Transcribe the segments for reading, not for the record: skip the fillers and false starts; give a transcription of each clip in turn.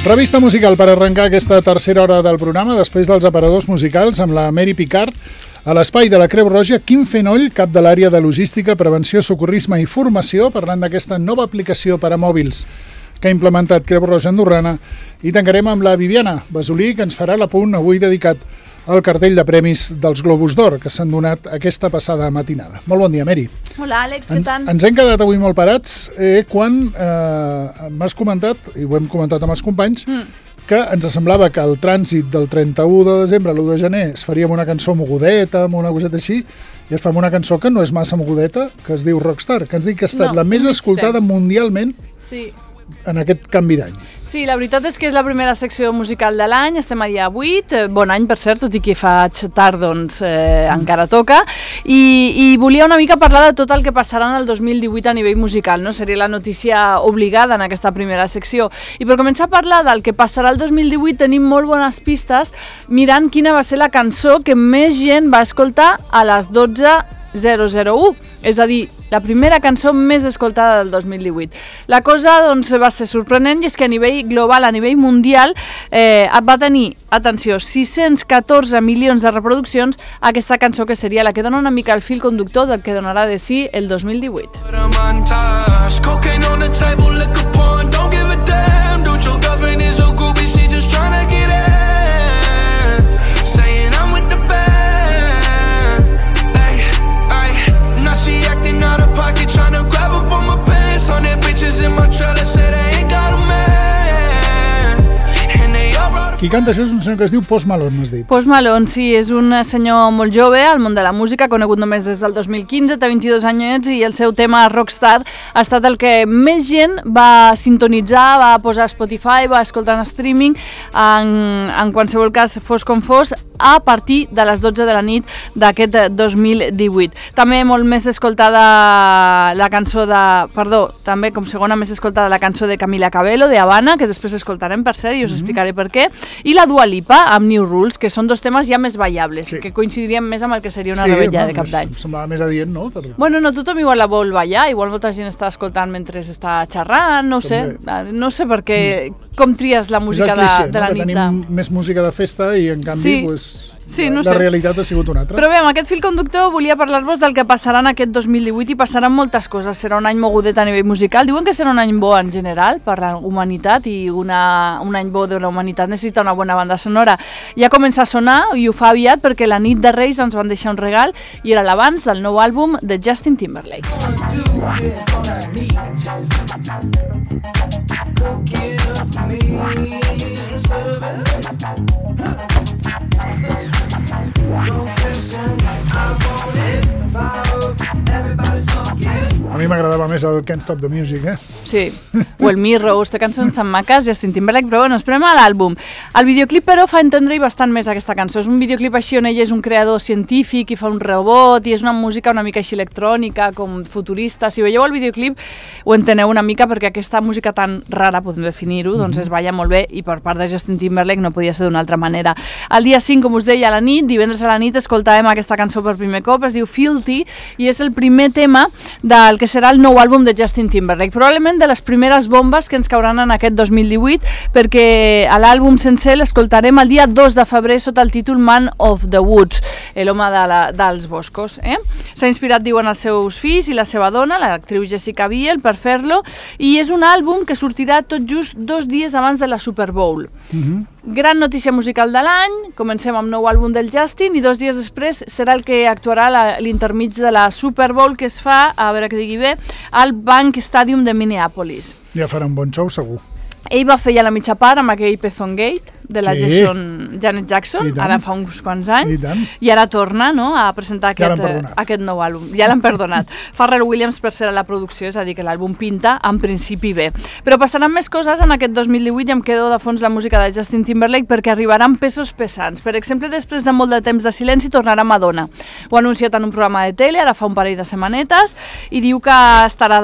Revista musical per arrencar aquesta tercera hora del programa després dels aparadors musicals amb la Mary Picard a l'espai de la Creu Roja. Quim Fenoll, cap de l'àrea de logística, prevenció, socorrisme i formació, parlant d'aquesta nova aplicació per a mòbils que ha implementat Creu Roja Andorrana. I tancarem amb la Viviana Basolí, que ens farà l'apunt avui dedicat al cartell de premis dels Globus d'Or que s'han donat aquesta passada matinada. Molt bon dia, Mary. Hola, Àlex, què tal? Ens hem quedat avui molt parats quan m'has comentat, i ho hem comentat amb els companys, que ens semblava que el trànsit del 31 de desembre a l'1 de gener es faria amb una cançó mogudeta, amb una coseta així, i es fa amb una cançó que no és massa mogudeta, que es diu Rockstar, que ens diu que ha estat la més escoltada mundialment en aquest canvi d'any. Sí, la veritat és que és la primera secció musical de l'any, estem a dia 8, bon any per cert, tot i que faig tard, doncs encara toca, i volia una mica parlar de tot el que passarà en el 2018 a nivell musical, no? Seria la notícia obligada en aquesta primera secció. I per començar a parlar del que passarà el 2018 tenim molt bones pistes mirant quina va ser la cançó que més gent va escoltar a les 12:001, és a dir, la primera cançó més escoltada del 2018. La cosa doncs, va ser sorprenent i és que a nivell global, a nivell mundial, va tenir, atenció, 614 milions de reproduccions aquesta cançó que seria la que dona una mica el fil conductor del que donarà de si el 2018. Qui canta això és un senyor que es diu Post Malone, m'has dit. Post Malone, sí, és un senyor molt jove al món de la música, conegut només des del 2015, té 22 anyets i el seu tema Rockstar ha estat el que més gent va sintonitzar, va posar a Spotify, va escoltar en streaming, en qualsevol cas fos com fos, a partir de les 12 de la nit d'aquest 2018. També molt més escoltada la cançó també com segona més escoltada la cançó de Camila Cabello, de Habana, que després escoltarem per cert i us explicaré per què, i la Dua Lipa amb New Rules, que són dos temes ja més ballables, que coincidirien més amb el que seria una rebella de cap d'any. Semblava més adient, no? Bueno, no tothom igual la vol ballar, igual molta gent està escoltant mentre està xerrant, no sé per què, com tries la música de la nit. Tenim més música de festa i en canvi la realitat ha sigut una altra. Però bé, amb aquest fil conductor volia parlar-vos del que passarà en aquest 2018 i passaran moltes coses. Serà un any mogudet a nivell musical. Diuen que serà un any bo en general per la humanitat i un any bo de la humanitat necessita una bona banda sonora. Ja comença a sonar i ho fa aviat perquè la nit de Reis ens van deixar un regal i era l'abans del nou àlbum de Justin Timberlake. A mi m'agradava més el Can't Stop the Music, Sí, o el Mirrors, té cançons tan maques, Justin Timberlake, però bueno, esperem a l'àlbum. El videoclip, però, fa entendre-hi bastant més aquesta cançó. És un videoclip així on ell és un creador científic i fa un robot i és una música una mica així electrònica, com futurista. Si veieu el videoclip ho enteneu una mica perquè aquesta música tan rara, podem definir-ho, doncs es balla molt bé i per part de Justin Timberlake no podia ser d'una altra manera. El dia 5, com us deia, a la nit, divendres a la nit, escoltàvem aquesta cançó per primer cop, es diu Filthy i és el primer tema del que serà el nou àlbum de Justin Timberlake. Probablement de les primeres bombes que ens cauran en aquest 2018 perquè a l'àlbum sencer l'escoltarem el dia 2 de febrer sota el títol Man of the Woods, l'home dels boscos. S'ha inspirat, diuen, els seus fills i la seva dona, l'actriu Jessica Biel, per fer-lo i és un àlbum que sortirà tot just 2 dies abans de la Super Bowl. Gran notícia musical de l'any, comencem amb nou àlbum del Justin i 2 dies després serà el que actuarà l'intermig de la Super Bowl que es fa, a veure que digui bé, al Bank Stadium de Minneapolis. Ja farà un bon show, segur. Ell va fer ja la mitja part amb aquell Pezon Gate de la Janet Jackson, ara fa uns quants anys, i ara torna a presentar aquest nou àlbum. Ja l'han perdonat. Pharrell Williams per ser a la producció, és a dir, que l'àlbum pinta en principi bé. Però passaran més coses en aquest 2018 i em quedo de fons la música de Justin Timberlake perquè arribaran pesos pesants. Per exemple, després de molt de temps de silenci tornarà Madonna. Ho ha anunciat en un programa de tele, ara fa un parell de setmanetes, i diu que estarà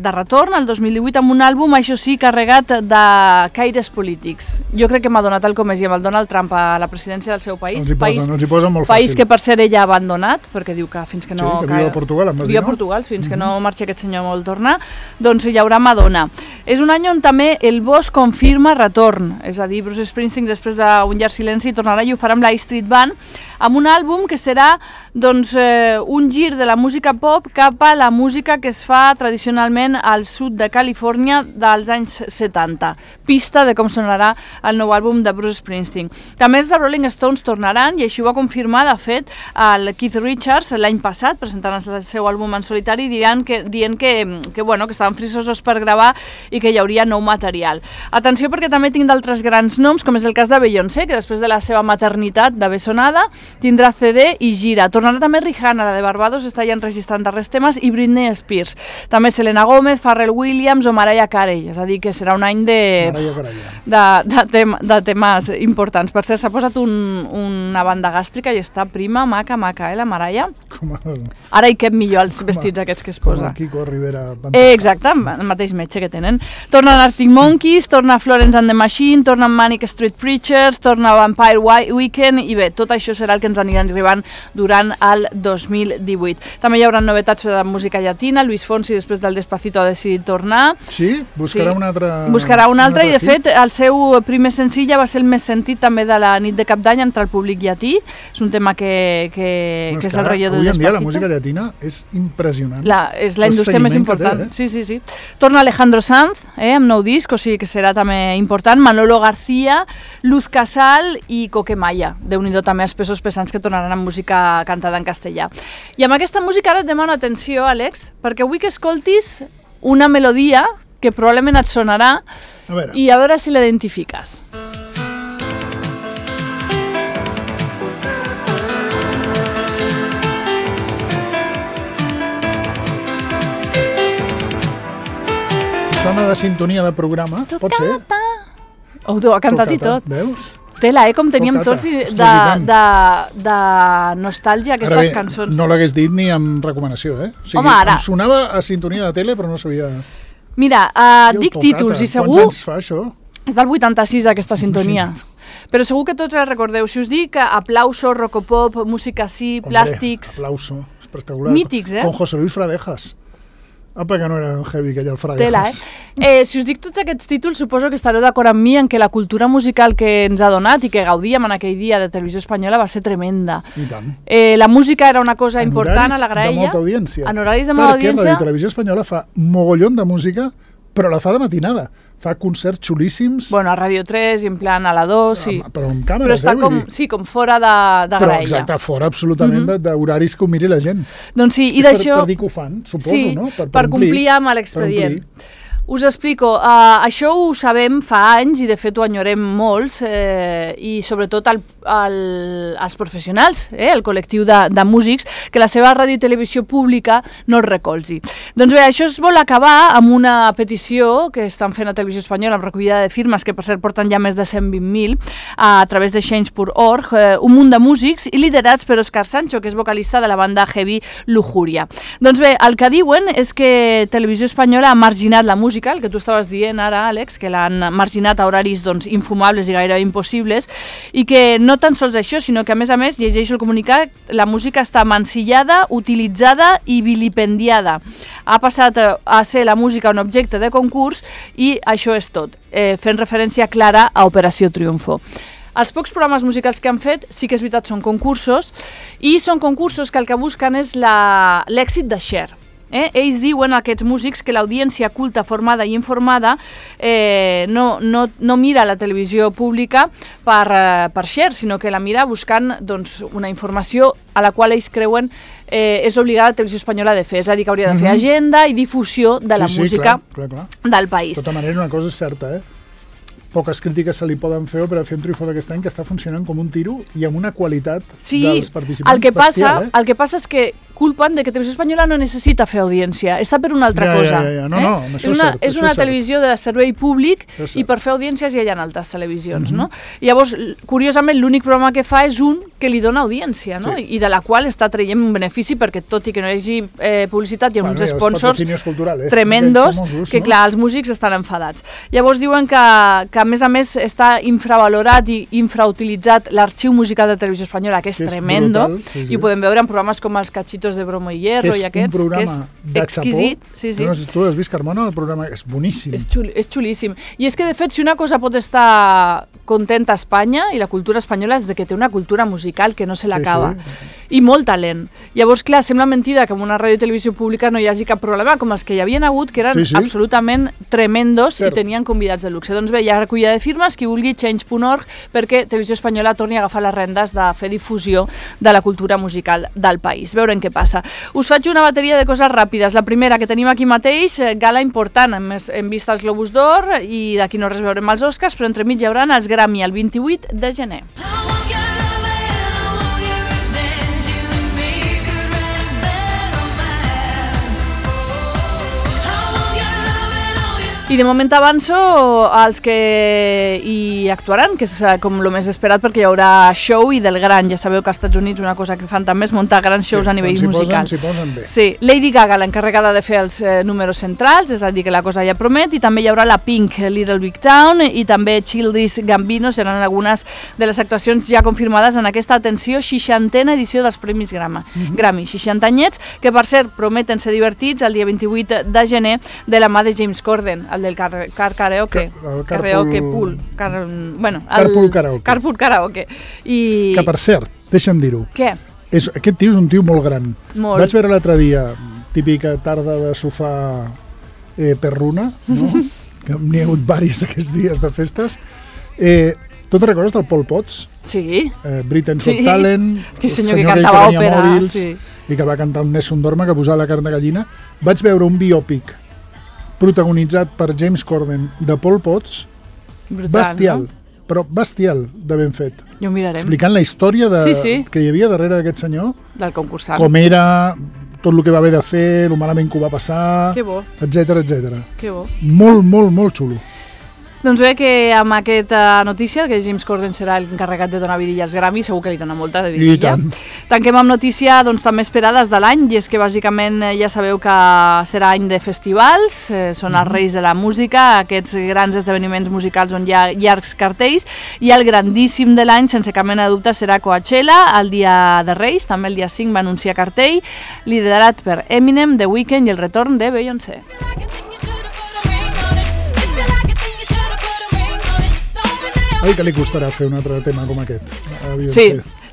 de retorn el 2018 amb un àlbum, això sí, carregat de caires polítics. Jo crec que que Madonna, tal com és, i amb el Donald Trump a la presidència del seu país, els hi posa molt fàcil. País que per cert ella ha abandonat, perquè diu que fins que no... Sí, que viu a Portugal, em vas dir, no? Viu a Portugal, fins que no marxi aquest senyor vol tornar, doncs hi haurà Madonna. És un any on també el Bosc confirma retorn, és a dir, Bruce Springsteen després d'un llarg silenci tornarà i ho farà amb la Street Band, amb un àlbum que serà doncs, un gir de la música pop cap a la música que es fa tradicionalment al sud de Califòrnia dels anys 70. Pista de com sonarà el nou àlbum de Bruce Springsteen. També els de Rolling Stones tornaran, i així ho va confirmar, de fet, el Keith Richards l'any passat, presentant el seu àlbum en solitari, dient que estaven frisosos per gravar i que hi hauria nou material. Atenció, perquè també tinc d'altres grans noms, com és el cas de Beyoncé, que després de la seva maternitat de bessonada tindrà CD i gira. Tornarà també Rihanna, la de Barbados, està ja enregistrant darrers temes, i Britney Spears. També Selena Gomez, Pharrell Williams o Mariah Carey, és a dir, que serà un any de temes importants. Per cert, s'ha posat una banda gàstrica i està prima, maca, la Mariah. Ara hi cap millor els vestits aquests que es posa. Com el Kiko Rivera. Exacte, el mateix metge que tenen. Tornen Arctic Monkeys, torna Florence and the Machine, tornen Manic Street Preachers, torna Vampire Weekend, i bé, tot això serà el que ens aniran arribant durant el 2018. També hi haurà novetats de música llatina. Luis Fonsi, després del Despacito, ha decidit tornar. Sí? Buscarà un altre... Buscarà un altre, i de fet el seu primer senzill ja va ser el més sentit també de la nit de Cap d'Any entre el públic llatí. És un tema que és el relleu del Despacito. Avui en dia la música llatina és impressionant. És la indústria més important. Sí. Torna Alejandro Sanz, amb nou disc, o sigui que serà també important. Manolo García, Luz Casal i Coquemaya. Déu-n'hi-do també els pesos pesants que tornaran amb música cantada en castellà. I amb aquesta música ara et demano atenció, Àlex, perquè vull que escoltis una melodia que probablement et sonarà i a veure si l'identifiques. Sona de sintonia de programa, pot ser? Ho ha cantat i tot. Veus? Tela, com teníem tots de nostàlgia aquestes cançons. No l'hagués dit ni amb recomanació, eh? O sigui, em sonava a sintonia de tele, però no sabia... Mira, dic títols i segur... Quants anys fa, això? És del 86, aquesta sintonia. Però segur que tots la recordeu. Si us dic Aplauso, Rocopop, Música Sí, Plàstics... Aplauso, espectacular. Mítics, Con José Luis Fradejas. Apa, que no era heavy aquell el Fradejas. Tela, si us dic tots aquests títols, suposo que estareu d'acord amb mi en que la cultura musical que ens ha donat i que gaudíem en aquell dia de Televisió Espanyola va ser tremenda. I tant. La música era una cosa important a la graella. En horaris de molta audiència. En horaris de molta audiència. Perquè la Televisió Espanyola fa mogollon de música, però la fa de matinada. Fa concerts xulíssims. Bueno, a Ràdio 3 i en plan a la 2, sí. Però amb càmeres, però està com fora de graella. Però exacte, fora absolutament d'horaris que ho miri la gent. Doncs sí, i d'això... Per dir que ho fan, suposo, no? Per complir amb l'expedient. Us explico, això ho sabem fa anys i de fet ho enyorem molts i sobretot els professionals, el col·lectiu de músics, que la seva ràdio i televisió pública no el recolzi. Doncs bé, això es vol acabar amb una petició que estan fent a Televisió Espanyola amb recollida de firmes, que per cert porten ja més de 120.000 a través de change.org, un munt de músics i liderats per Òscar Sancho, que és vocalista de la banda heavy Lujuria. Doncs bé, el que diuen és que Televisió Espanyola ha marginat la música, el que tu estaves dient ara, Àlex, que l'han marginat a horaris infumables i gairebé impossibles, i que no tan sols això, sinó que a més, llegeixo el comunicat, la música està mancillada, utilitzada i vilipendiada. Ha passat a ser la música un objecte de concurs i això és tot, fent referència clara a Operació Triunfo. Els pocs programes musicals que han fet, sí que és veritat, són concursos, i són concursos que el que busquen és l'èxit de share. Ells diuen, aquests músics, que l'audiència culta, formada i informada no mira la televisió pública per share, sinó que la mira buscant una informació a la qual ells creuen és obligada la Televisió Espanyola de fer, és a dir, que hauria de fer agenda i difusió de la música del país. De tota manera, una cosa és certa, poques crítiques se li poden fer a Operació Triunfo d'aquest any, que està funcionant com un tiro i amb una qualitat dels participants bestial. El que passa és que culpen de que Televisió Espanyola no necessita fer audiència, està per una altra cosa. És una televisió de servei públic i per fer audiències ja hi ha altres televisions. Llavors, curiosament, l'únic programa que fa és un que li dona audiència, no? I de la qual està traient un benefici, perquè tot i que no hi hagi publicitat, hi ha uns sponsors tremendos que, clar, els músics estan enfadats. Llavors diuen que a més està infravalorat i infrautilitzat l'arxiu musical de Televisió Espanyola, que és tremendo, i ho podem veure en programes com els Cachitos de Bromo i Hierro i aquests, que és exquisit. No sé si tu has vist, Carmona, el programa és boníssim. És xulíssim. I és que, de fet, si una cosa pot estar contenta a Espanya, i la cultura espanyola, és de que té una cultura musical que no se l'acaba. I molt talent. Llavors, clar, sembla mentida que en una ràdio i televisió pública no hi hagi cap problema, com els que hi havien hagut, que eren absolutament tremendos i tenien convidats de luxe. Doncs bé, hi ha recollida de firmes, qui vulgui, change.org, perquè Televisió Espanyola torni a agafar les rendes de fer difusió de la cultura musical del país. Veurem què passa. Us faig una bateria de coses ràpides. La primera, que tenim aquí mateix, gala important, hem vist els Globus d'Or i d'aquí no res veurem els Oscars, però entremig hi haurà els Grammy el 28 de gener. I de moment avanço als que hi actuaran, que és com el més esperat, perquè hi haurà show i del gran. Ja sabeu que als Estats Units una cosa que fan també és muntar grans shows a nivell musical. S'hi posen bé. Sí, Lady Gaga, l'encarregada de fer els números centrals, és a dir, que la cosa ja promet, i també hi haurà la Pink, Little Big Town, i també Childish Gambino seran algunes de les actuacions ja confirmades en aquesta, atenció, 60a edició dels Premis Grammy. 60 anyets, que per cert prometen ser divertits el dia 28 de gener de la mà de James Corden, del karaoke. Carpool karaoke. Que, per cert, deixa'm dir-ho. Què? Aquest tio és un tio molt gran. Molt. Vaig veure l'altre dia, típica tarda de sofà perruna, no? Que n'hi ha hagut diversos aquests dies de festes. Tu te'n recordes del Pol Potts? Sí. Britain's Got Talent, el senyor que cantava òpera, mòbils, i que va cantar un Nessun Dorma que posava la carn de gallina. Vaig veure un biòpic protagonitzat per James Corden de Pol Potts. Brutal, bestial, no? Però bestial de ben fet. Ja ho mirarem. Explicant la història que hi havia darrere d'aquest senyor. Del concursant. Com era, tot el que va haver de fer, el malament que ho va passar, etcètera. Que bo. Molt, molt, molt xulo. Doncs bé, que amb aquesta notícia, que James Corden serà l'encarregat de donar vidilla als Grammy, segur que li dona molta de vidilla. Tanquem amb notícia també esperades de l'any, i és que bàsicament ja sabeu que serà any de festivals, són els reis de la música, aquests grans esdeveniments musicals on hi ha llargs cartells, i el grandíssim de l'any, sense cap mena de dubte, serà Coachella, el dia de Reis, també el dia 5 va anunciar cartell, liderat per Eminem, The Weeknd i el retorn de Beyoncé. Ai, que li costarà fer un altre tema com aquest.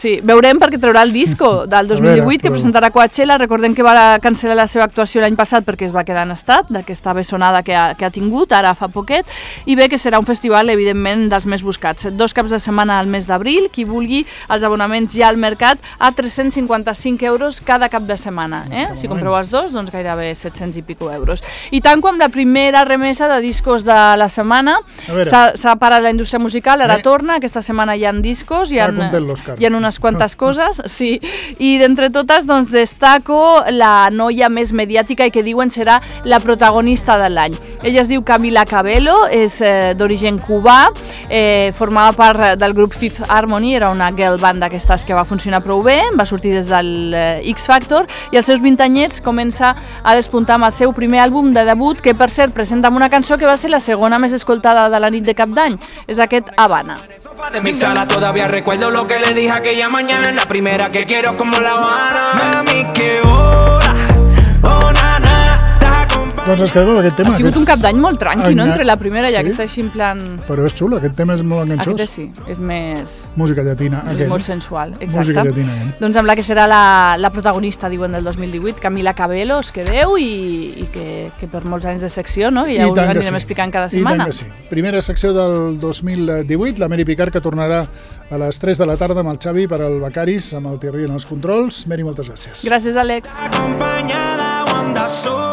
Sí, veurem, perquè traurà el disco del 2018 que presentarà Coachella. Recordem que va cancel·lar la seva actuació l'any passat perquè es va quedar en estat d'aquesta bessonada que ha tingut, ara fa poquet, i bé que serà un festival, evidentment, dels més buscats. 2 caps de setmana al mes d'abril, qui vulgui, els abonaments ja al mercat a 355 euros cada cap de setmana. Si compreu els dos, doncs gairebé 700 i pico euros. I tanco amb la primera remesa de discos de la setmana. S'ha parat la indústria musical, ara torna, aquesta setmana hi ha discos, hi ha unes quantes coses, sí, i d'entre totes doncs destaco la noia més mediàtica i que diuen serà la protagonista de l'any. Ella es diu Camila Cabello, és d'origen cubà, formava part del grup Fifth Harmony, era una girl band d'aquestes que va funcionar prou bé, va sortir des del X Factor, i als seus 20 anyets comença a despuntar amb el seu primer àlbum de debut, que per cert presenta amb una cançó que va ser la segona més escoltada de la nit de Cap d'Any, és aquest Habana. De mi sala todavía recuerdo lo que le dije aquella mañana, la primera que quiero como la Habana. Mami, que hora, oh nana. Doncs ens quedem amb aquest tema. Ha sigut un Cap d'Any molt tranqui, no? Entre la primera i aquesta així en plan... Però és xulo, aquest tema és molt enganxós. Aquest sí, és més... Música llatina, aquell. Molt sensual, exacte. Música llatina, aquell. Doncs amb la que serà la protagonista, diuen, del 2018, Camila Cabello, us quedeu, i que per molts anys de secció, no? Que ja ho anirem explicant cada setmana. I tant que sí. Primera secció del 2018, la Mary Picard, que tornarà a les 3 de la tarda amb el Xavi per al Becaris, amb el Thierry en els controls. Mary, moltes gràcies. Gràcies, Àlex. Acompanyada o anda sola.